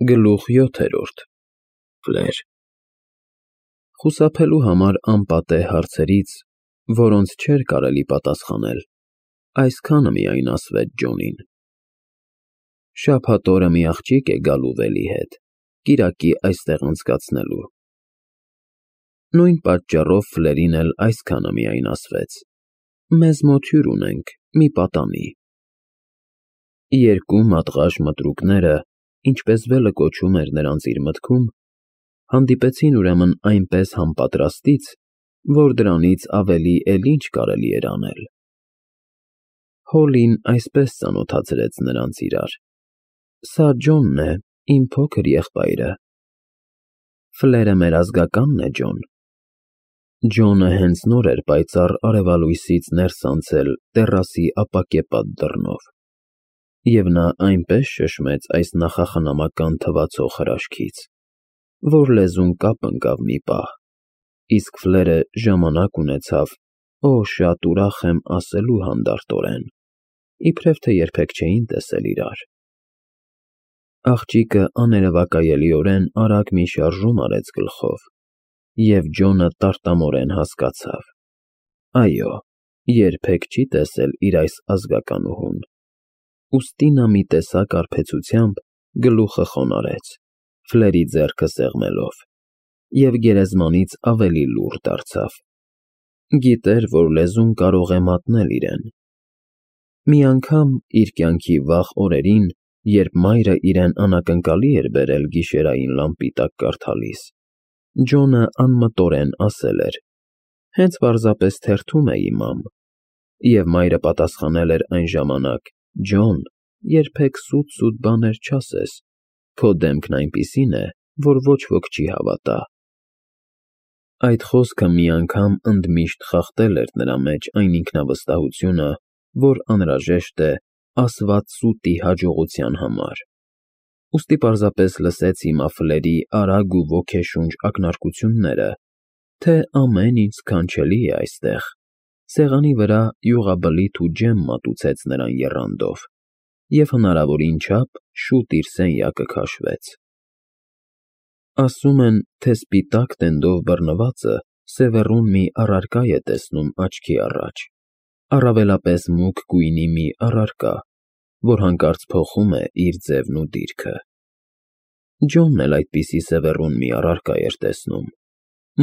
Գլուխ 7. Ֆլեր Խուսափելու համար անպատեհ հարցերից, որոնց չէր կարելի պատասխանել, այսքանը միայն ասվեց Ջոնին. շաբաթ օրը մի աղջիկ է գալու Վելի հետ, կիրակի այստեղ անցկացնելու։ Նույն պատճառով Ֆլերին էլ այսքանը միայն ասվեց. մեզ մոտ հյուր ունենք, մի պատանի։ Երկու մատղաշ մտրուկները, ինչպես Վելը կոչում էր նրանց իր մտքում, հանդիպեցին ուրեմն այնպես համապատրաստից, որ դրանից ավելի էլ ինչ կարելի էր անել։ Հոլին այսպես ծանոթացրեց նրանց իրար. Սա Ջոնն է, իմ փոքր եղբայրը։ Ֆլերը մեր ազգականն է, Ջոն։ Ջոնը հենց նոր էր պայծառ արևալույսից ներս անցել տեռասի ապակեպատ դռնով, և նա այնպես շշմեց այս նախախնամական թվացող հրաշքից, որ լեզուն կապ ընկավ մի պահ, իսկ Ֆլերը ժամանակ ունեցավ, օ, շատ ուրախ եմ ասելու հանդարտորեն, իբրև թե երբեք չէին տեսել իրար։ Աղջիկը աներևակայելիորեն արագ մի շարժում արեց գլխով, և Ջոնը տարտամորեն հասկացավ. այո, երբեք չի տեսել իր այս ազգականուհուն։ Ուստի նա մի տեսակ արբեցությամբ գլուխը խոնարհեց, Ֆլերի ձեռքը սեղմելով, և գերեզմանից ավելի լուռ դարձավ։ Գիտեր, որ լեզուն կարող է մատնել իրեն։ Մի անգամ իր կյանքի վաղ օրերին, երբ մայրը իրեն անակնկալի էր բերել գիշերային լամպի տակ կարդալիս, Ջոնը անմտորեն ասել էր. հենց պարզապես թերթում էի, մամ, և մայրը պատասխանել էր այն ժամանակ. Ջոն, երբեք սուտ բաներ չասես, քո դեմքն այնպիսին է, որ ոչ ոք չի հավատա։ Այդ խոսքը մի անգամ ընդմիշտ խախտել էր նրա մեջ այն ինքնավստահությունը, որ անհրաժեշտ է ասված սուտի հաջողության համար։ Ուստի պարզապես լսեց հիմա Ֆլերի արագ ու ոգեշունչ ակնարկությունները, թե ամեն ինչ սքանչելի է այստեղ, սեղանի վրա յուղաբլիթ ու ջեմ մատուցեց նրան եռանդով, և հնարավորին չափ շուտ իր սենյակը քաշվեց։ Ասում են, թե սպիտակ տենդով բռնվածը սևեռուն մի առարկա է տեսնում աչքի առաջ, առավելապես մուգ գույնի մի առարկա, որ հանկարծ փոխում է իր ձևն ու դիրքը։ Ջոնն էլ այդպիսի սևեռուն մի առարկա էր տեսնում,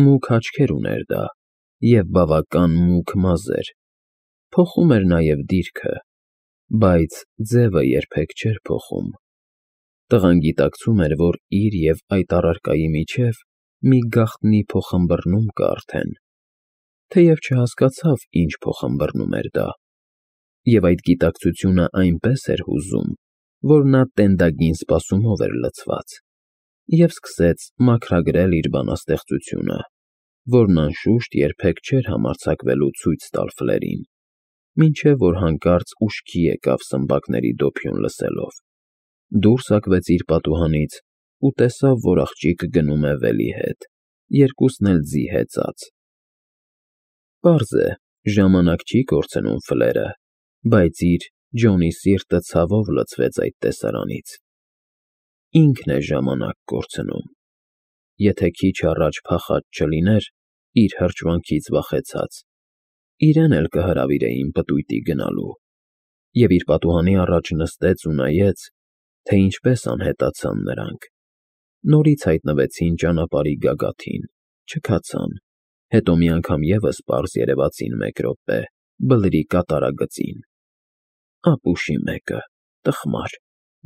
մուգ աչքեր ուներ դա, և բավական մուգ մազեր, փոխում էր նաև դիրքը, բայց ձևը երբեք չէր փոխում։ Տղան գիտակցում էր, որ իր և այդ առարկայի միջև մի գաղտնի փոխըմբռնում կա արդեն, թեև չհասկացավ ինչ փոխըմբռնում էր դա, և այդ գիտակցությունը այնպես էր հուզում, որ նա տենդագին սպասումով էր լցված, և սկսեց մաքրագրել իր բանաստեղծությունը, որն անշուշտ երբեք չէր համարձակվելու ցույց տալ Ֆլերին, մինչև որ հանկարծ ուշքի եկավ սմբակների դոփյուն լսելով, դուրս հագվեց իր պատուհանից ու տեսավ, որ աղջիկը գնում է Վելի հետ, երկուսն էլ ձի հեծած։ Պարզ է, ժամանակ չի կորցնում Ֆլերը, բայց իր Ջոնի սիրտը ցավով լցվեց այդ տեսարանից։ Ինքն է ժամանակ կորցնում։ Եթե քիչ առաջ փախած չլիներ, իր հրճվանքից վախեցած, իրեն էլ կհրավիրեին պտույտի գնալու, և իր պատուհանի առաջ նստեց ու նայեց, թե ինչպես անհետացան նրանք, նորից հայտնվեցին ճանապարհի գագաթին, չքացան, հետո մի անգամ ևս պարզ երևացին մեկ րոպե, բլրի կատարագծին։ Ապուշի մեկը, տխմար,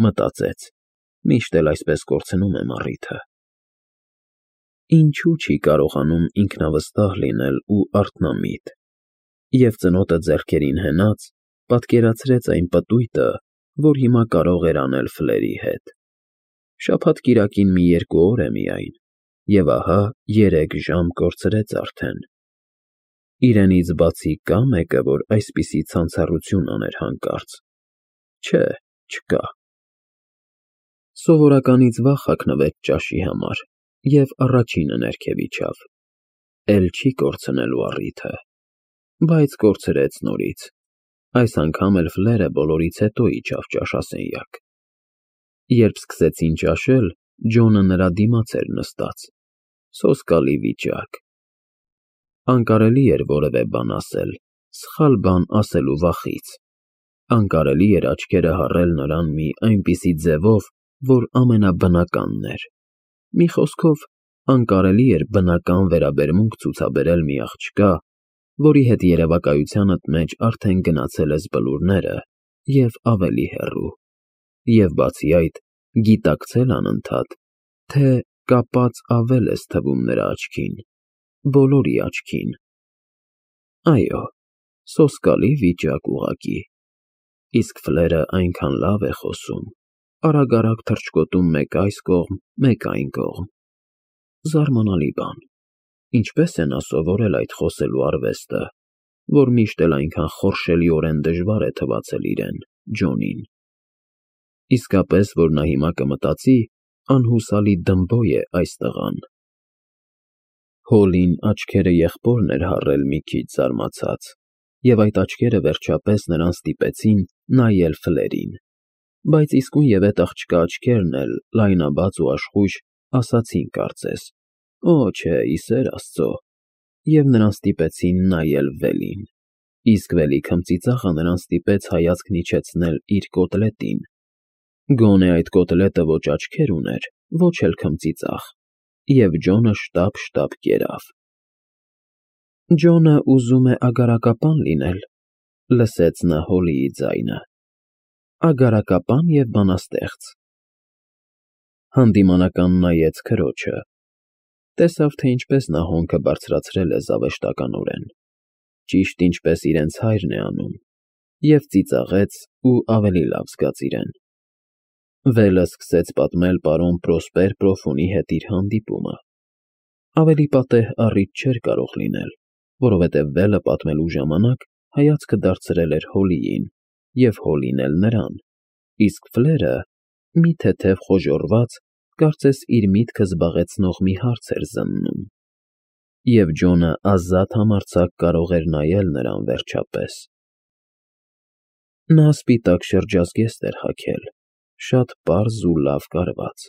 մտածեց, միշտ էլ այսպես կորցնում եմ առիթը։ Ինչու չի կարողանում ինքնավստահ լինել ու արթնամիտ, և ծնոտը ձեռքերին հենած, պատկերացրեց այն պտույտը, որ հիմա կարող էր անել Ֆլերի հետ։ Շաբաթ֊կիրակին մի 2 օր է միայն, և ահա 3 ժամ կորցրեց արդեն։ Իրենից բացի կա՞ մեկը, որ այսպիսի ցանցառություն աներ հանկարծ։ Չէ, չկա։ Սովորականից վաղ հագնվեց ճաշի համար և առաջինը ներքև իջավ։ Էլ չի կորցնելու առիթը, բայց կորցրեց նորից։ Այս անգամ էլ Ֆլերը բոլորից հետո իջավ ճաշասենյակ։ Երբ սկսեցին ճաշել, Ջոնը նրա դիմաց էր նստած, սոսկալի վիճակ։ Անկարելի էր որևէ բան ասել, սխալ բան ասելու վախից։ Անկարելի էր աչքերը հառել նրան մի այնպիսի ձևով, որ ամենաբնականն էր։ Մի խոսքով, անկարելի էր բնական վերաբերմունք ցուցաբերել մի աղջկա, որի հետ երևակայությանդ մեջ արդեն գնացել ես բլուրները և ավելի հեռու, և բացի այդ, գիտակցել անընդհատ, թե կապած ավել ես թվում նրա աչքին, բոլորի աչքին։ Այո, սոսկալի վիճակ ուղղակի։ Իսկ Ֆլերը այնքան լավ է խոսում, արագ-արագ թռչկոտում մեկ այս կողմ, մեկ այն կողմ։ Զարմանալի բան, ինչպես է նա սովորել այդ խոսելու արվեստը, որ միշտ էլ այնքան խորշելիորեն դժվար է թվացել իրեն, Ջոնին։ Իսկապես, որ նա հիմա կմտածի, անհուսալի դմբոյ է այս տղան։ Հոլին աչքերը եղբորն էր հառել մի քիչ զարմացած, և այդ աչքերը վերջապես նրան ստիպեցին նայել Ֆլերին, բայց իսկույնևեթ աղջկա աչքերն էլ, լայնաբաց ու աշխույժ, ասացին կարծես. «Օ, չէ, ի սեր Աստծո», և նրան ստիպեցին նայել Վելին, իսկ Վելի քմծիծաղը նրան ստիպեց հայացքն իջեցնել իր կոտլետին։ Գոնե այդ կոտլետը ոչ աչքեր ուներ, ոչ էլ քմծիծաղ, և Ջոնը շտապ կերավ։ «Ջոնը ուզում է ագարակապան լինել», լսեց նա Հոլիի ձայնը, «ագարակապան և բանաստեղծ»։ Հանդիմանական նայեց քրոջը, տեսավ, թե ինչպես նա հոնքը բարձրացրել է զավեշտականորեն, ճիշտ ինչպես իրենց հայրն է անում, և ծիծաղեց ու ավելի լավ զգաց իրեն։ Վելը սկսեց պատմել պարոն Պրոսպեր Պրոֆունի հետ իր հանդիպումը։ Ավելի պատեհ առիթ չէր կարող լինել, որովհետև Վելը պատմելու ժամանակ հայացքը դարձրել էր Հոլիին, և Հոլին էլ նրան, իսկ Ֆլերը, մի թեթև խոժոռված, կարծես իր միտքը զբաղեցնող մի հարց էր զննում։ Եվ Ջոնը ազատ համարձակ կարող էր նայել նրան վերջապես։ Նա սպիտակ շրջազգեստ էր հագել, շատ պարզ ու լավ կարված,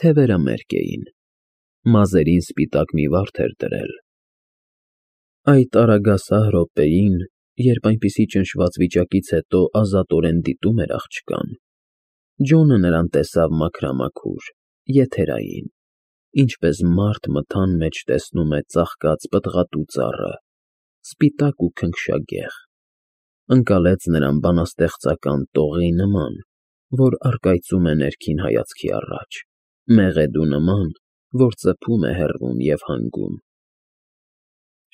թևերը մերկ էին, մազերին սպիտակ մի վարդ էր դրել։ Այդ արագասահ րոպեին, երբ այնպիսի ճնշված վիճակից հետո ազատորեն դիտում էր աղջկան, Ջոնը նրան տեսավ մաքրամաքուր, եթերային, ինչպես մարդ մթան մեջ տեսնում է ծաղկած պտղատու ծառը, սպիտակ ու քնքշագեղ, ընկալեց նրան բանաստեղծական տողի նման, որ առկայծում է ներքին հայացքի առաջ, մեղեդու նման, որ ծփում է հեռվում և հանգում։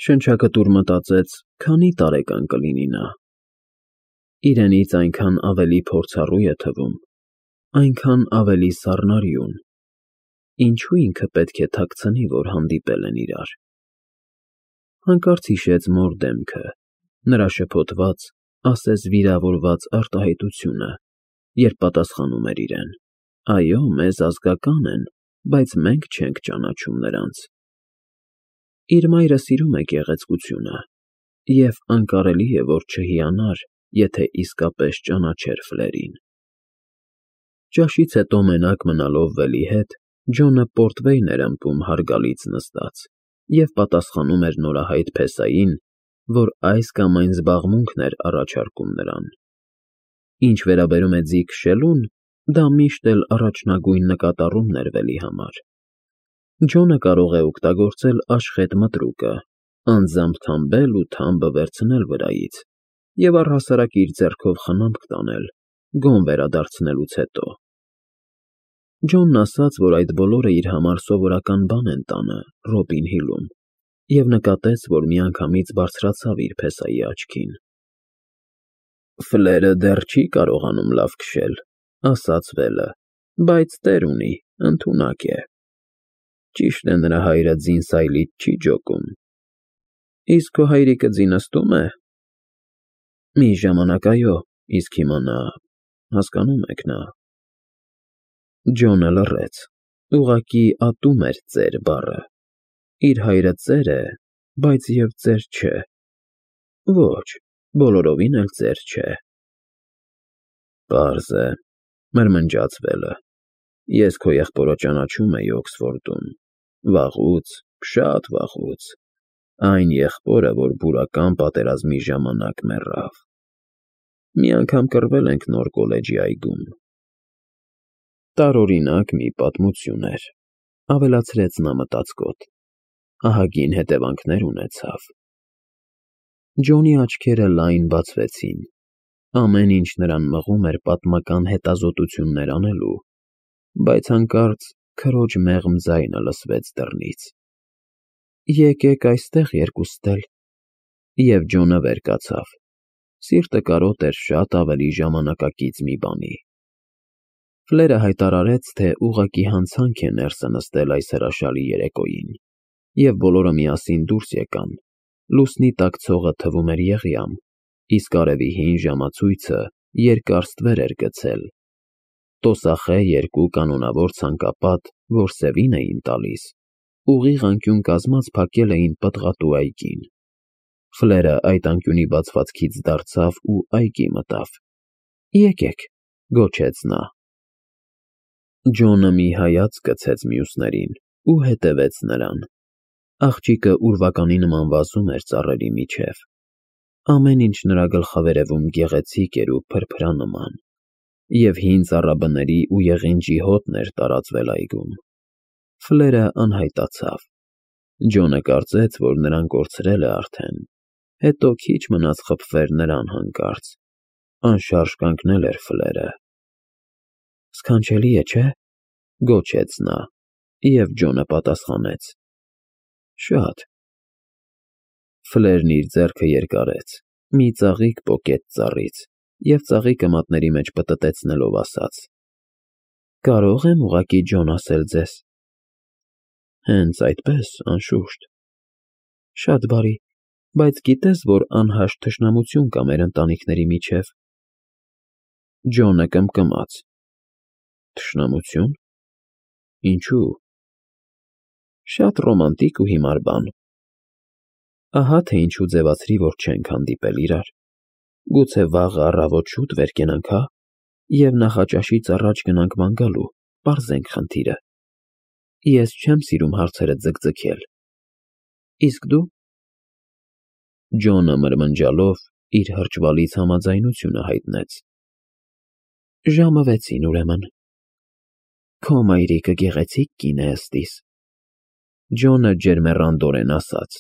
Շնչակտուր մտածեց, քանի տարեկան կլինի նա։ Իրենից այնքան ավելի փորձառու է թվում, այնքան ավելի սառնարյուն։ Ինչու ինքը պետք է թաքցնի, որ հանդիպել են իրար։ Հանկարծ հիշեց մոր դեմքը, նրա շփոթված, ասես վիրավորված արտահայտությունը, երբ պատասխանում էր իրեն. «Այո, մեզ ազգական են, բայց մենք չենք ճանաչում նրանց»։ Իր մայրը սիրում է գեղեցկությունը, և անկարելի է, որ չհիանար, եթե իսկապես ճանաչեր Ֆլերին։ Ճաշից հետո մենակ մնալով Վելի հետ, Ջոնը պորտվեյն էր ըմպում հարգալից նստած և պատասխանում էր նորահայտ փեսային, որ այս կամ այն զբաղմունքն էր առաջարկում նրան։ Ինչ վերաբերում է ձի քշելուն, դա միշտ էլ առաջնագույն նկատառումն էր Վելի համար։ Ջոնը կարող է օգտագործել աշխատ մտրուկը, անձամբ թամբել ու թամբը վերցնել վրայից և առհասարակ իր ձեռքով խնամք տանել, գոն վերադարձնելուց հետո։ Ջոնն ասաց, որ այդ բոլորը իր համար սովորական բան են տանը Ռոբին Հիլում, և նկատեց, որ միանգամից բարձրացավ իր փեսայի աչքին։ «Ֆլերը դեռ չի կարողանում լավ քշել», ասաց Վելը, «բայց տեր ունի, ընդունակ է։ Ճիշտ է, նրա հայրը ձին սայլից չի ջոկում։ Իսկ քո հայրիկը ձի նստո՞ւմ է։ Մի ժամանակ այո, իսկ հիմա նա, հասկանո՞ւմ եք, նա… Ջոնը լռեց, ուղղակի ատում էր ծեր բառը։ Իր հայրը ծեր է, բայց և ծեր չէ։ Ոչ, բոլորովին էլ ծեր չէ։ Պարզ է, մրմնջաց Վելը։ Ես քո եղբորը ճանաչում էի Օքսֆորդում, վաղուց, շատ վաղուց, այն եղբորը, որ բուրական պատերազմի ժամանակ մեռավ։ Մի անգամ կռվել ենք նոր կոլեջի այգում։ Տարօրինակ մի պատմություն էր, ավելացրեց նա մտածկոտ, ահագին հետևանքներ ունեցավ։ Ջոնի աչքերը լայն բացվեցին, ամեն ինչ նրան մղում էր պատմական հետազոտություններ անելու, բայց հանկարծ քրոջ մեղմ ձայնը լսվեց դռնից։ Եկեք այստեղ երկուստ էլ։ Եվ Ջոնը վեր կացավ, սիրտը կարոտ էր շատ ավելի ժամանակակից մի բանի։ Ֆլերը հայտարարեց, թե ուղղակի հանցանք է ներսը նստել այս հրաշալի երեկոյին, և բոլորը միասին դուրս եկան, լուսնի տակ ցողը թվում էր եղյամ, իսկ արևի հին ժամացույցը երկար ստվեր էր գցել, տոսախե երկու կանոնավոր ցանկապատ, որ սևին էին տալիս, ուղիղ անկյուն կազմած փակել էին պտղատու այգին։ Ֆլերը այդ անկյունի բացվածքից դարձավ ու այգի մտավ։ Եկեք, գոչեց նա։ Ջոնը մի հայացք գցեց մյուսներին ու հետևեց նրան։ Աղջիկը ուրվականի նման վազում էր ծառերի միջև։ Ամեն ինչ նրա գլխավերևում գեղեցիկ էր ու փրփրանման, և հին ծառաբների ու եղինջի հոտն էր տարածվել այգում։ Ֆլերը անհայտացավ։ Ջոնը կարծեց, որ նրան կորցրել է արդեն, հետո քիչ մնաց խփվեր նրան հանկարծ։ Անշարժ կանգնել էր Ֆլերը։ Սքանչելի է, չէ՞, գոչեց նա, և Ջոնը պատասխանեց. Շատ։ Ֆլերն իր ձեռքը երկարեց, մի ծաղիկ պոկեց ծառից, և ծաղիկը մատների մեջ պտտեցնելով ասաց. Կարո՞ղ եմ ուղղակի Ջոն ասել ձեզ։ Հենց այդպես, անշուշտ։ Շատ բարի, բայց գիտես, որ անհաշտ թշնամություն կա մեր ընտանիքների միջև։ Ջոնը կմկմաց։ Թշնամություն։ Ինչու՞։ Շատ ռոմանտիկ ու հիմար բան։ Ահա թե ինչու ձևացրի, որ չենք հանդիպել իրար։ Գուցե վաղը առավոտ շուտ վեր կենանք, հա՞, և նախաճաշից առաջ գնանք ման գալու, պարզենք խնդիրը։ Ես չեմ սիրում հարցերը ձգձգել։ Իսկ դու։ Ջոնը մրմնջալով իր հրճվալից համաձայնությունը հայտնեց։ Ժամը 6-ին ուրեմն։ Քո մայրիկը գեղեցիկ կին է ըստիս։ Ջոնը ջերմեռանդորեն ասաց.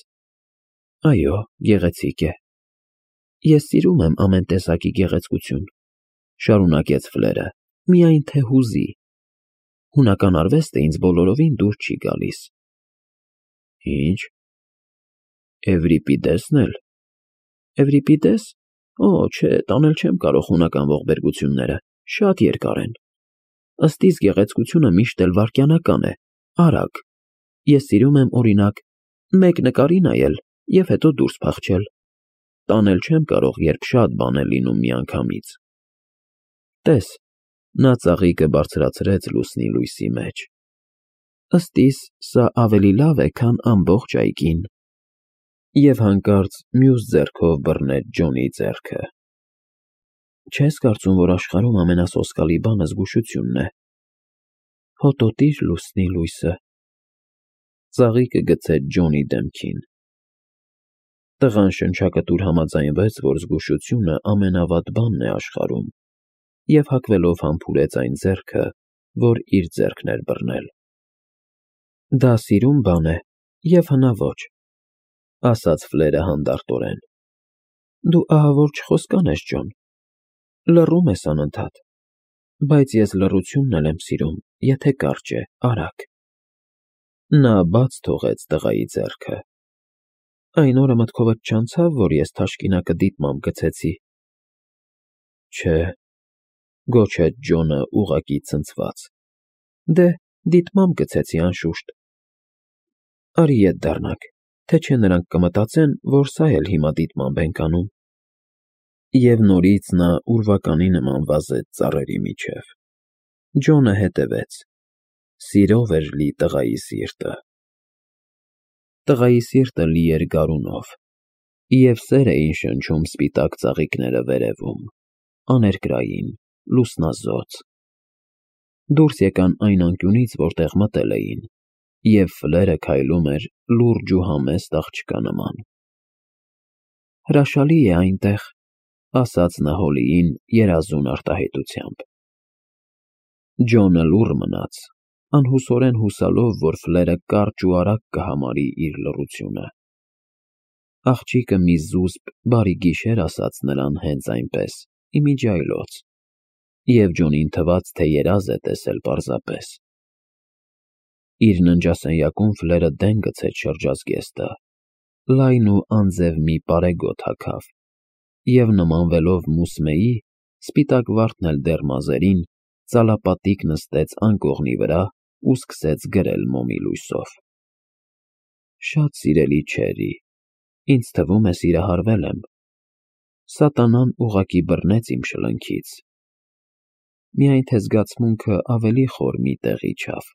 Այո, գեղեցիկ է։ Ես սիրում եմ ամեն տեսակի գեղեցկություն, շարունակեց Ֆլերը, միայն թե հուզի։ Հունական արվեստը ինձ բոլորովին դուր չի գալիս։ Ինչ։ Էվրիպիդեսն էլ։ Էվրիպիդես։ Օ, չէ, տանել չեմ կարող հունական ողբերգությունները, շատ երկար են։ Ըստ իս գեղեցկությունը միշտ էլ վայրկենական է, արագ։ Ես սիրում եմ, օրինակ, մեկ նկարի նայել և հետո դուրս փախչել։ Տանել չեմ կարող, երբ շատ բան է լինում միանգամից։ Տես, նա ծաղիկը բարձրացրեց լուսնի լույսի մեջ։ Ըստ իս, սա ավելի լավ է, քան ամբողջ այգին։ Եվ հանկարծ մյուս ձեռքով բռնեց Ջոնի ձեռքը։ Չես կարծում, որ աշխարհում ամենասոսկալի բանը զգուշությունն է։ Հոտոտիր լուսնի լույսը։ Ծաղիկը գցեց Ջոնի դեմքին։ Տղան շնչակտուր համաձայնվեց, որ զգուշությունը ամենավատ բանն է աշխարհում, և հագվելով համբուրեց այն ձեռքը, որ իր ձեռքն էր բռնել։ Դա սիրուն բան է և հնաոճ, ասաց Ֆլերը հանդարտորեն։ Դու ահավոր չխոսկան ես, Ջոն, լռում ես անընդհատ, բայց ես լռությունն էլ եմ սիրում, եթե կարճ է, արագ։ Նա բաց թողեց տղայի ձեռքը։ Այն օրը մտքովդ չանցավ, որ ես թաշկինակը դիտմամբ գցեցի։ Չէ, գոչեց Ջոնը ուղղակի ցնցված։ Դե, դիտմամբ գցեցի, անշուշտ։ Արի ետ դառնանք, թե չէ նրանք կմտածեն, որ սա էլ հիմա դիտմամբ ենք անում։ Եվ նորից նա ուրվականի նման վազեց ծառերի միջև։ Ջոնը հետևեց։ Սիրով էր լի տղայի սիրտը։ Տղայի սիրտը լի էր գարունով, և սեր էին շնչում սպիտակ ծաղիկները վերևում, աներկրային, լուսնազոծ։ Դուրս եկան այն անկյունից, որտեղ մտել էին, և Ֆլերը քայլում էր լուրջ ու համեստ աղջկա նման։ Հրաշալի է այնտեղ, ասաց նա Հոլիին երազուն արտահայտությամբ։ Ջոնը լուռ մնաց, անհուսորեն հուսալով, որ Ֆլերը կարճ ու արագ կհամարի իր լռությունը։ Աղջիկը մի զուսպ, բարի գիշեր ասաց նրան հենց այնպես, իմիջիայլոց, և Ջոնին թվաց, թե երազ է տեսել պարզապես։ Իր ննջասենյակում Ֆլերը դեն գցեց շրջազգեստը, լայն ու անձև մի պարեգոտ հագավ, և նմանվելով Մուսմեի, սպիտակ վարդն էլ դեռ մազերին, ծալապատիկ նստեց անկողնի վրա ու սկսեց գրել մոմի լույսով։ Շատ սիրելի Չերի, ինձ թվում է սիրահարվել եմ։ Սատանան ուղղակի բռնեց իմ շլնքից։ Միայն թե զգացմունքը ավելի խոր մի տեղ իջավ։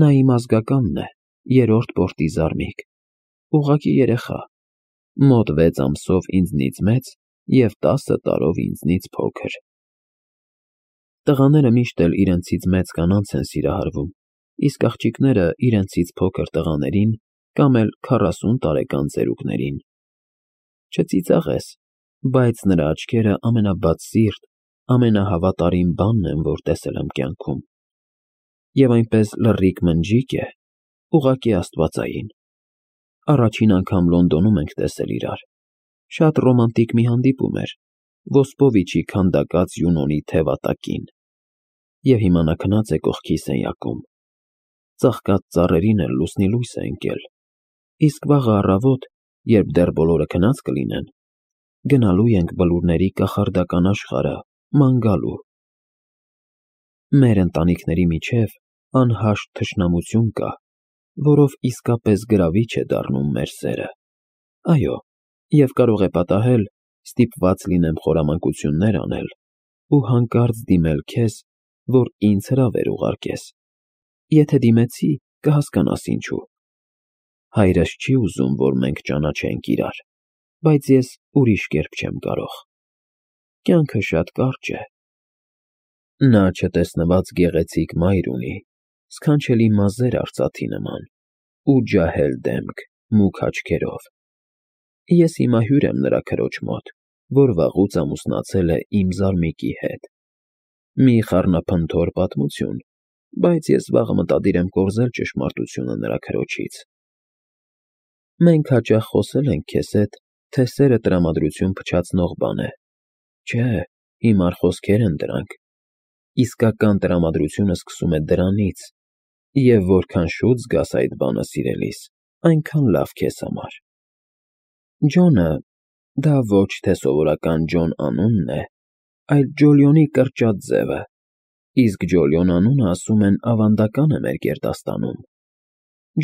Նա իմ ազգականն է, երրորդ պորտի զարմիկ, ուղղակի երեխա, մոտ 6 ամսով ինձնից մեծ և 10 տարով ինձնից փոքր։ Տղաները միշտ էլ իրենցից մեծ կանանց են սիրահարվում, իսկ աղջիկները իրենցից փոքր տղաներին կամ էլ 40 տարեկան ծերուկներին։ Չծիծաղես, բայց նրա աչքերը ամենաբացսիրտ, ամենահավատարիմ բանն են, որ տեսել եմ կյանքում։ Եվ այնպես լռիկ մնջիկ է, ուղղակի աստվածային։ Առաջին անգամ Լոնդոնում ենք տեսել իրար։ Շատ ռոմանտիկ մի հանդիպում էր, Ոսպովիչի քանդակած Յունոնի թևատակին։ Եվ հիմա նա քնած է կողքի սենյակում։ Ծաղկած ծառերին էլ լուսնի լույս է ընկել։ Իսկ վաղը առավոտ, երբ դեռ բոլորը քնած կլինեն, գնալու ենք բլուրների կախարդական աշխարհը, ման գալու։ Մեր ընտանիքների միջև անհաշտ թշնամություն կա, որով իսկապես գրավիչ է դառնում մեր սերը։ Այո, և կարող է պատահել, ստիպված լինեմ խորամանկություններ անել ու հանկարծ դիմել քեզ, որ ինձ հրավեր ուղարկես։ Եթե դիմեցի, կհասկանաս ինչու։ Հայրս չի ուզում, որ մենք ճանաչենք իրար, բայց ես ուրիշ կերպ չեմ կարող։ Կյանքը շատ կարճ է։ Նա չտեսնված գեղեցիկ մայր ունի, սքանչելի մազեր արծաթի նման ու ջահել դեմք, մուգ աչքերով։ Ես հիմա հյուր եմ նրա քրոջ մոտ, որ վաղուց ամուսնացել է իմ զարմիկի հետ։ Մի խառնափնթոր պատմություն, բայց ես վաղը մտադիր եմ կորզել ճշմարտությունը նրա քրոջից։ Մենք հաճախ խոսել ենք քեզ հետ, թե սերը տրամադրություն փչացնող բան է։ Չէ, հիմար խոսքեր են դրանք։ Իսկական տրամադրությունը սկսում է դրանից, և որքան շուտ զգաս այդ բանը, սիրելիս, այնքան լավ քեզ համար։ Ջոնը, դա ոչ թե սովորական Ջոն անունն է, այլ Ջոլիոնի կրճատ ձևը, իսկ Ջոլիոն անունը, ասում են, ավանդական է մեր գերդաստանում։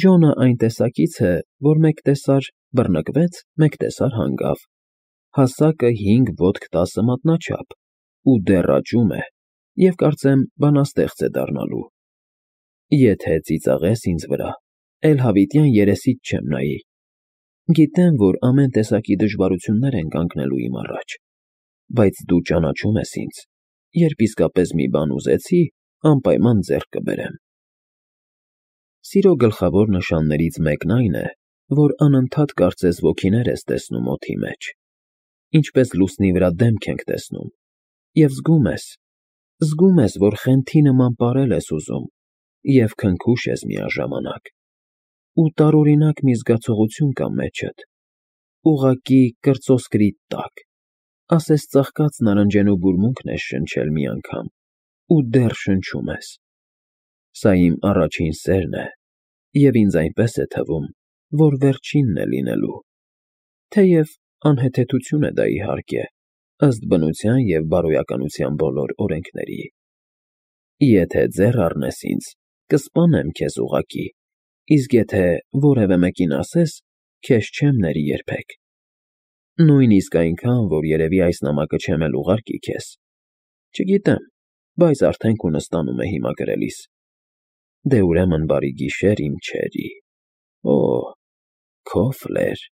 Ջոնը այն տեսակից է, որ մեկ տեսար բռնկվեց, մեկ տեսար հանգավ, հասակը 5 ոտք 10 մատնաչափ, ու դեռ աճում է, և կարծեմ բանաստեղծ է դառնալու։ Եթե ծիծաղես ինձ վրա, էլ հավիտյան երեսիդ չեմ նայի։ Գիտեմ, որ ամեն տեսակի դժվարություններ են կանգնելու իմ առաջ, բայց դու ճանաչում ես ինձ, երբ իսկապես մի բան ուզեցի, անպայման ձեռք կբերեմ։ Սիրո գլխավոր նշաններից մեկն այն է, որ անընդհատ կարծես ոգիներ ես տեսնում օդի մեջ, ինչպես լուսնի վրա դեմք ենք տեսնում, և զգում ես, որ խենթի նման պարել ես ուզում և քնքուշ ես միաժամանակ, ու տարօրինակ մի զգացողություն կա մեջդ, ուղղակի կրծոսկրիդ տակ, ասես ծաղկած նարնջենու բուրմունքն ես շնչել մի անգամ ու դեռ շնչում ես։ Սա իմ առաջին սերն է, և ինձ այնպես է թվում, որ վերջինն է լինելու, թեև անհեթեթություն է դա, իհարկե, ըստ բնության և բարոյականության բոլոր օրենքների։ Եթե ձեռ առնես ինձ, կսպանեմ քեզ ուղղակի, իսկ եթե որևէ մեկին ասես, քեզ չեմ ների երբեք։ Նույնիսկ այնքան, որ երևի այս նամակը չեմ էլ ուղարկի քեզ։ Չգիտեմ, բայց արդեն քո նստանում է հիմա գրելիս։ Դե ուրեմն բարի գիշեր, իմ Չերի։ Օ, քո Ֆլեր։